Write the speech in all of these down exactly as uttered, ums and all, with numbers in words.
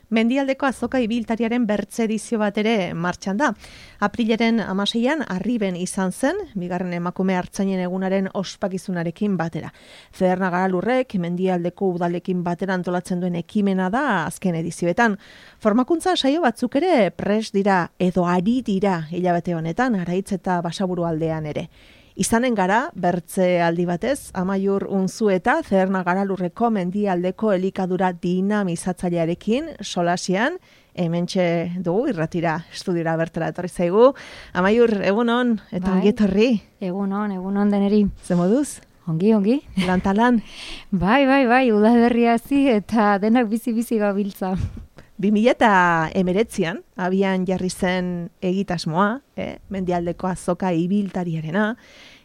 Mendialdeko azoka ibiltariaren bertze edizio bat ere martxan da. Aprilaren hamaseian Arriben izan zen, bigarren emakume artzainen egunaren ospakizunarekin batera. Zederna Garalurrek Mendialdeko udalekin batera antolatzen duen ekimena da azken edizioetan. Formakuntza saio batzuk ere pres dira edo ari dira hilabete honetan, Araitz eta Basaburu aldean ere. Izanen gara, bertze aldi batez, Amaiur Unzueta, Zederna Garalurreko Mendialdeko elikadura dinamizatzailearekin solasian, hementxe dugu, irratira, estudiora bertara etorri zaigu. Amaiur, egunon, eta ongi etorri. Egunon, egunon deneri. Ze moduz? Ongi, ongi. Lantalan. Bai, bai, bai, udaberria hazi eta denak bizi-bizi gabiltza. bi mila hemeretzian, abian jarri zen egitasmoa, eh, Mendialdeko azoka ibiltariarena,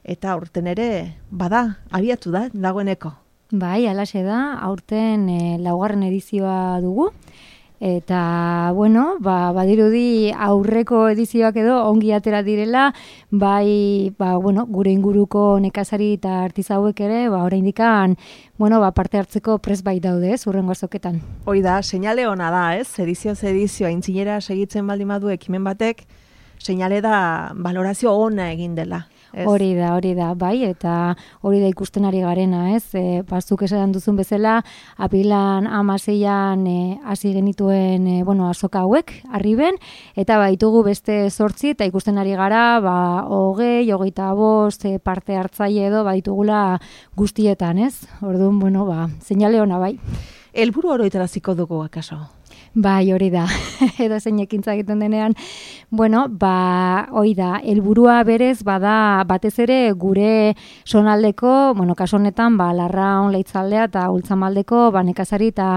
eta aurten ere, bada, abiatu da, dagoeneko. Bai, alaxe da, aurten e, laugarren edizioa dugu, eta, bueno, ba, badirudi aurreko edizioak edo ongi atera direla, bai, ba, bueno, gure inguruko nekazari eta artizauek ere, ba, oraindikan, bueno, ba, parte hartzeko prest bai daude, ez, hurrengo azoketan. Hoi da, seinale ona da, ez, edizioz edizio, aintzinera segitzen baldin badu ekimen batek, seinale da valorazio ona egin dela. Ez? Hori da, hori da, bai, eta hori da ikusten ari garena, ez? E, bazuk esan duzun bezala, apilan hamaseian e, hasi genituen, e, bueno, azoka hauek, Arriben, eta baitugu beste zortzi, eta ikusten ari gara, ba, hogei, hogeita bost, e, parte hartzaile edo, baitugula guztietan, ez? Orduan, bueno, ba, seinale ona, bai. Helburu oroitaraziko dugu, akaso? Bai, hori da, edo zein ekintza egiten denean, bueno, ba, hori da, helburua berez, bada, batez ere gure sonaldeko, bueno, kaso honetan, ba, Larraun, Leitzaldea eta Ultzamaldeko, ba, nekazari eta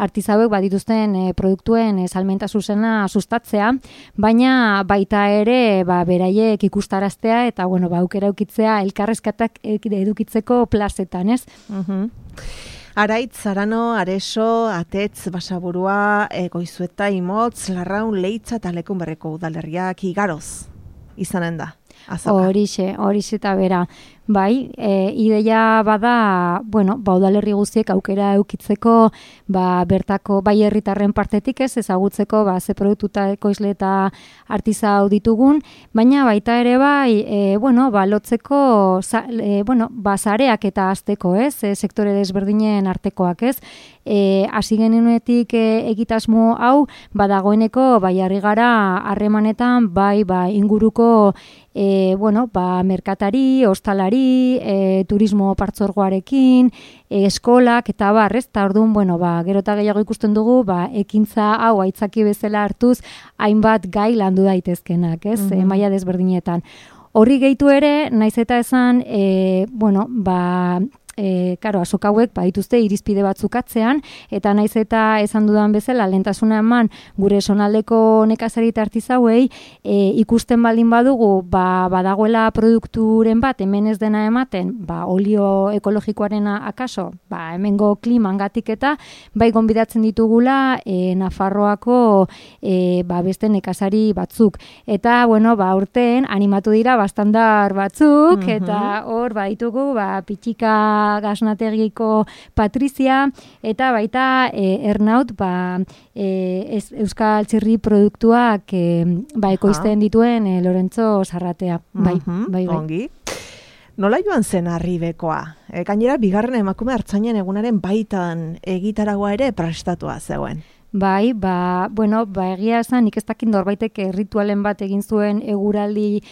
artizauek badituzten e, produktuen e, salmenta zuzena sustatzea, baina baita ere, ba, beraiek ikustaraztea eta, bueno, ba, aukera eukitzea elkarrezkatak edukitzeko plazetan, ez? Mhm. Araitz, Arano, Areso, Atetz, Basaburua, e, Goizueta, Imotz, Larraun, Leitza eta Lekunberreko udalerriak igaroz izanen da. Horixe, horixe eta bera. Bai, e, ideia bada, bueno, ba, udalerri guztiek aukera eukitzeko, ba, bertako bai herritarren partetik ez, ezagutzeko, ba, ze produktuta ekoizle eta artizau ditugun, baina baita ere bai, e, bueno, ba, lotzeko, za, e, bueno, ba, zareak eta azteko, ez, e, sektore desberdinen artekoak, ez, e, hasi genuenetik e, egitasmo hau, badagoeneko, bai, harri gara harremanetan, bai, ba, inguruko, e, bueno, ba, merkatari, ostalari, E, turismo partzuergoarekin, e, eskolak eta bar, ez? Ta orduan, bueno, ba, gero eta gehiago ikusten dugu, ba, ekintza hau aitzaki bezala hartuz, hainbat gai landu daitezkenak, ez? Mm-hmm. E, maila desberdinetan. Horri gehitu ere, naiz eta esan, e, bueno, ba, E, karo, azoka hauek badituzte irizpide batzuk atzean, eta naiz eta esan dudan bezala lehentasuna eman gure sonaldeko nekazari eta artizauei, e, ikusten baldin badugu, ba, badagoela produkturen bat hemen ez dena ematen, ba, olio ekologikoarena akaso, ba, hemengo klimangatik eta bai gonbidatzen ditugula e, Nafarroako e, ba, beste nekazari batzuk. Eta, bueno, ba, urten animatu dira bastandar batzuk, mm-hmm. eta hor, ba, ditugu, ba, pitxika Gasnategiko Patrizia, eta baita e, Ernaut, ba, e, ez, Euskal Txirri produktuak e, ba, ekoizten dituen e, Lorentzo Sarratea. Bai, mm-hmm. bai, bai. Ongi. Nola joan zen Arribekoa? E, gainera, bigarren emakume hartzainen egunaren baitan egitaragoa ere prestatua zegoen. Bai, ba, bueno, ba, egia esan, nik ez dakit norbaitek ritualen bat egin zuen eguraldi,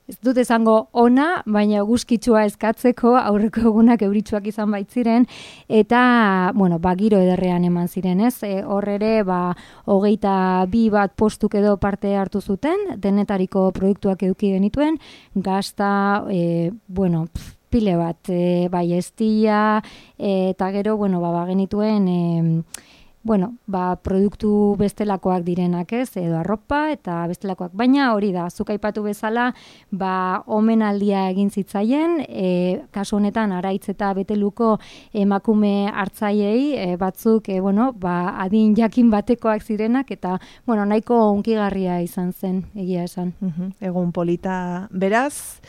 ez dut esango ona, baina guzkitsua eskatzeko, aurreko egunak euritsuak izan baitziren, eta, bueno, ba, giro ederrean eman ziren, ez? E, hor ere, ba, hogeita bi bat postuk edo parte hartu zuten, denetariko produktuak eduki genituen, gazta, e, bueno, pf, pile bat, e, bai, estia, e, eta gero, bueno, ba, ba genituen, e, bueno, ba, produktu bestelakoak direnak, ez, edo arropa eta bestelakoak. Baina hori da, zuk aipatu bezala, ba, omenaldia egin zitzaien, e, kasu honetan Araitz eta Beteluko emakume hartzaileei, e, batzuk, e, bueno, ba, adin jakin batekoak zirenak, eta, bueno, nahiko hunkigarria izan zen, egia esan. Uh-huh. Egun polita beraz.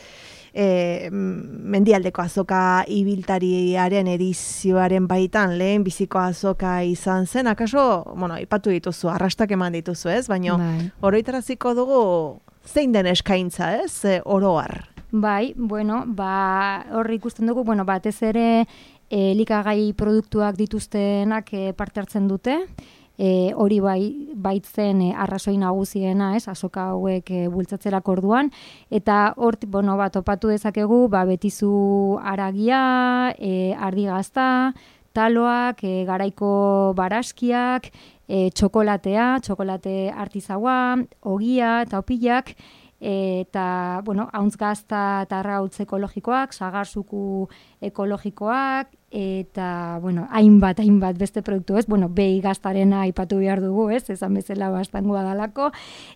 e, mendialdeko azoka ibiltariaren edizioaren baitan lehen biziko azoka izan zen, akaso, bueno, ipatu dituzu, arrastak eman dituzu, ez? Baina oroitaraziko dugu zein den eskaintza, ez? E, oroar. Bai, bueno, ba, horri ikusten dugu, bueno, batez ere elikagai produktuak dituztenak e, parte hartzen dute, E, hori bai, baitzen e, arrazoi nagusiena, ez, azoka hauek e, bultzatzerak orduan, eta hor, bueno, bat, topatu dezakegu, ba, betizu aragia, e, ardigazta, taloak, e, garaiko baraskiak, e, txokolatea, txokolate artizaua, ogia eta opilak, e, eta, bueno, hauntz gazta eta arrautz ekologikoak, sagarzuku ekologikoak, eta, bueno, hainbat, hainbat beste produktu, ez? Bueno, behi gaztarena aipatu behar dugu, ez? Esan bezala bastangoa dalako,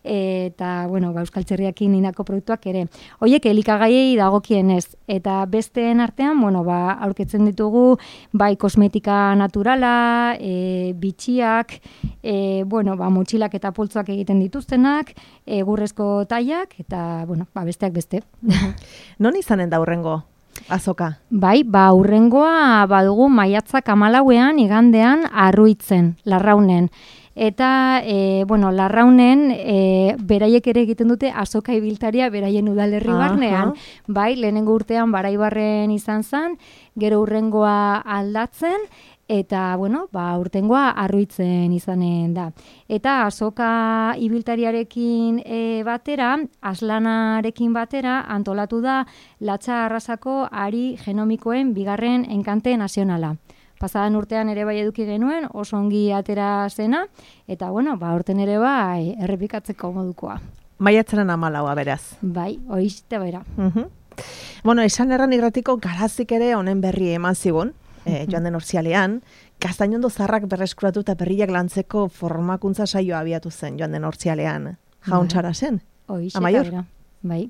eta, bueno, ba, Euskal Txerriakin inako produktuak ere. Hoiek elikagaiei dagokien ez, eta besteen artean, bueno, ba, aurketzen ditugu, bai, kosmetika naturala, e, bitxiak, e, bueno, ba, motxilak eta poltzoak egiten dituztenak, egurrezko taiak, eta, bueno, ba, besteak beste. Non izanen da hurrengo azoka? Bai, ba, hurrengoa badugu maiatzak hamalauean igandean Arruitzen, Larraunen. Eta, e, bueno, Larraunen e, beraiek ere egiten dute azoka ibiltaria beraien udalerri barnean. Bai, lehenengo urtean Baraibarren izan zen, gero hurrengoa aldatzen, eta, bueno, ba, urtengoa Arruitzen izanen da. Eta azoka ibiltariarekin e, batera, aslanarekin batera, antolatu da Latxa Arrasako ari genomikoen bigarren enkante nazionala. Pasadan urtean ere bai eduki genuen, oso ongi atera zena, eta, bueno, ba, urten ere bai errepikatzeko modukoa. Maiatzaren hamalaua beraz. Bai, hoizte bera. Uh-huh. Bueno, esan erran irratiko garazik ere honen berri eman zigun, E, joan den ortzialean, Gaztainondo zaharrak berreskuratu eta berriak lantzeko formakuntza saioa abiatu zen joan den ortzialean. Jauntxara zen? Amaior? Bai.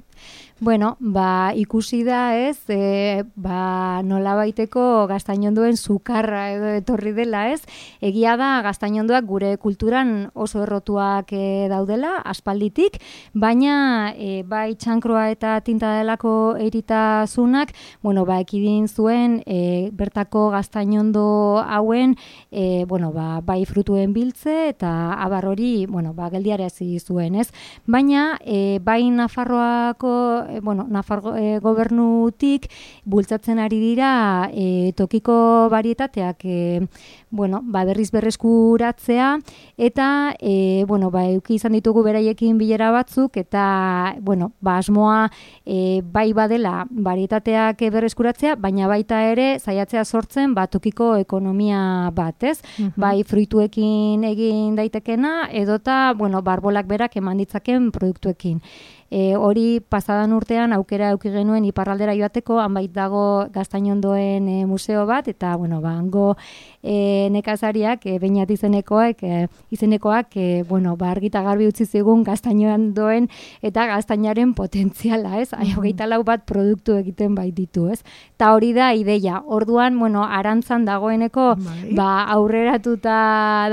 Bueno, ba, ikusi da ez, e, ba, nola baiteko Gaztainondoen sukarra edo etorri dela ez. Egia da Gaztainondoak gure kulturan oso errotuak e, daudela, aspalditik, baina e, bai txankroa eta tinta delako eritasunak, bueno, ba, ekidin zuen e, bertako Gaztainondo hauen, e, bueno, ba, bai frutuen biltze eta abar hori, bueno, ba, geldiarazi zuen ez. Baina, e, bai Nafarroako bueno, Nafar e, gobernutik bultzatzen ari dira e, tokiko varietateak e, bueno, ba, berriz berreskuratzea eta e, bueno, ba, euki izan ditugu beraiekin bilera batzuk eta bueno, ba, asmoa e, bai badela varietateak berreskuratzea, baina baita ere saiatzea sortzen ba, tokiko ekonomia bat, ez? Uh-huh. Bai fruituekin egin daitekena edota bueno, barbolak berak eman ditzaken produktuekin. E, hori pasadan urtean aukera eduki genuen iparraldera joateko, han bait dago Gaztainondoen e, museo bat, eta bueno, ba, hango e, nekazariak, e, Beñat izenekoak, e, izenekoak, e, bueno, ba, argita garbi utzi zigun Gaztainondoen eta gaztainaren potentziala, ez? Mm-hmm. Hogeita lau bat produktu egiten bait ditu, ez? Ta hori da ideia. Orduan, bueno, arantzan dagoeneko, bai. Ba, aurreratuta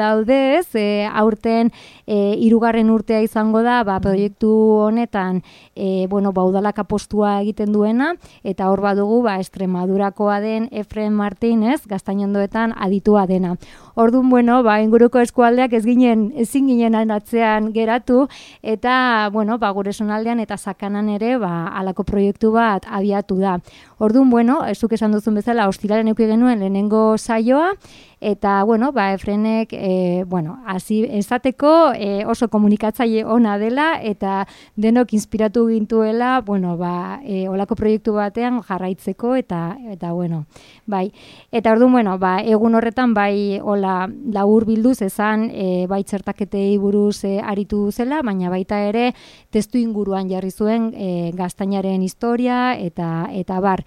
daude, ez? E, aurten e, hirugarren urtea izango da, ba, proiektu honetan E, bueno, ba, udalak apostua egiten duena, eta hor badugu ba, Extremadurakoa den Efren Martínez, Gaztainondoetan aditua dena. Orduan, bueno, ba, inguruko eskualdeak ez ginen, ezin ginen atzean geratu, eta, bueno, ba, gure zonaldean eta Sakanan ere, ba, halako proiektu bat abiatu da. Orduan, bueno, zuk esan duzun bezala, ostiraren eduki genuen lehenengo saioa, eta, bueno, ba, Efrenek, e, bueno, hasi esateko e, oso komunikatzaile ona dela, eta denok inspiratu gintuela, bueno, ba, e, olako proiektu batean jarraitzeko, eta, eta bueno, bai. Eta orduan, bueno, ba, egun horretan, bai, hola, labur bilduz esan, e, bai txertaketei buruz e, aritu zela, baina baita ere, testu inguruan jarri zuen e, gaztainaren historia, eta, eta bar.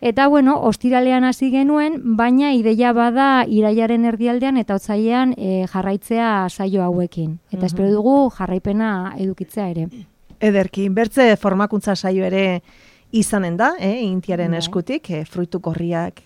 Eta, bueno, ostiralean hasi genuen, baina ideia bada irailaren erdialdean eta otsailean e, jarraitzea saio hauekin. Eta uh-huh. espero dugu jarraipena edukitzea ere. Ederki, bertze formakuntza saio ere izanen da, eh, intiaren bai. Eskutik, eh, fruitu gorriak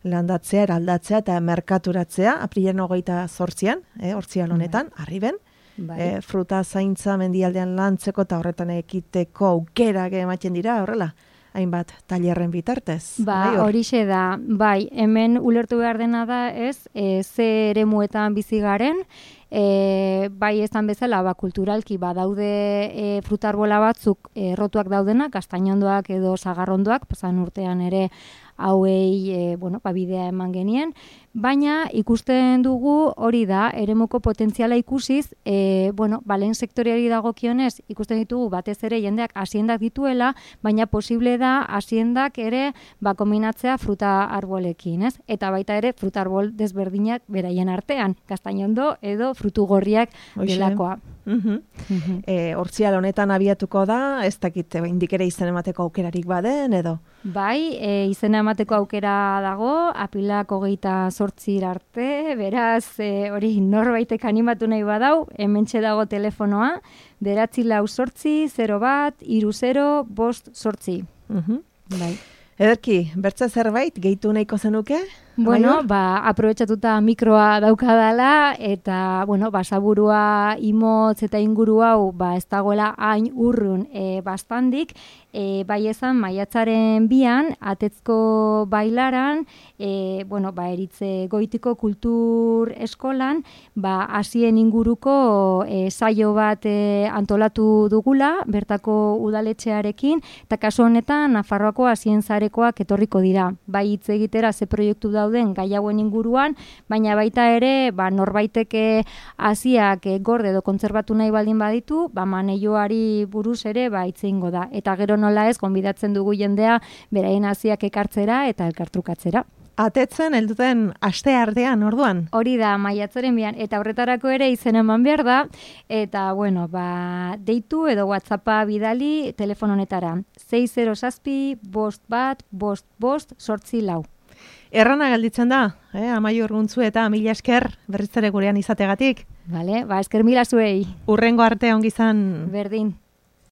landatzea, eraldatzea eta merkaturatzea, aprilaren hogeita zortzian, eh, hortzian honetan, bai. Arriben. Bai. Eh, fruta zaintza mendialdean lantzeko eta horretan ekiteko aukerak ematen dira, horrela. hainbat tailerren bitartez. Ba, bai, hor? horixe da, bai, hemen ulertu behar dena da ez, e, ze eremuetan bizi garen, e, bai esan bezala, ba, kulturalki badaude e, frutarbola batzuk errotuak daudenak, kastainondoak edo sagarrondoak, pasan urtean ere hauei e, bueno, ba, bidea eman genien, baina ikusten dugu hori da, eremuko potentziala ikusiz, e, bueno, ba, lehen sektoreari dagokionez, ikusten ditugu batez ere jendeak hasiendak dituela, baina posible da hasiendak ere ba, kombinatzea fruta arbolekin, ez? Eta baita ere fruta arbol desberdinak beraien artean, kastainondo edo frutu gorriak delakoa. Uh-huh. Uh-huh. E, Hortzial honetan abiatuko da, ez dakit indik ere izen emateko aukerarik baden, edo? Bai, e, izena emateko aukera dago, apilak hogeita zortzir arte, beraz, e, hori norbaitek animatu nahi badau, hementxe dago telefonoa, beratzi lau zortzi, zero bat, iru zero, bost zortzi. Uh-huh. Bai. Ederki, bertze zerbait, gehitu nahiko zenuke? Bueno, ba, aprobetxatuta mikroa daukadala, eta, bueno, basaburua imotz eta inguru hau, ba, ez dagoela hain urrun e, bastandik, e, bai esan maiatzaren bian, atetzko bailaran, e, bueno, ba, eritze goitiko kultur eskolan, ba, hasien inguruko e, saio bat e, antolatu dugula, bertako udaletxearekin, eta kasu honetan, Nafarroako hasien zarekoak etorriko dira. Bai hitz egitera ze proiektu dauden gai hauen inguruan, baina baita ere, ba, norbaiteke hasiak e, gorde edo kontserbatu nahi baldin baditu, ba, maneioari buruz ere ba, hitz egingo da. Eta gero nola ez, gonbidatzen dugu jendea, beraien hasiak ekartzera eta elkartrukatzera. Atetzen, helduten aste artean, orduan? Hori da, maiatzaren bian, eta horretarako ere izen eman behar da, eta, bueno, ba, deitu edo WhatsAppa bidali telefon honetara. sei zero zazpi, bost bat, bost, bost, sortzi lau. Errana gelditzen da, eh? Amaiur Guntzu eta mila esker berriz ere gurean izategatik. Vale, ba, esker mila zuei. Urrengo arte ongi izan. Berdin.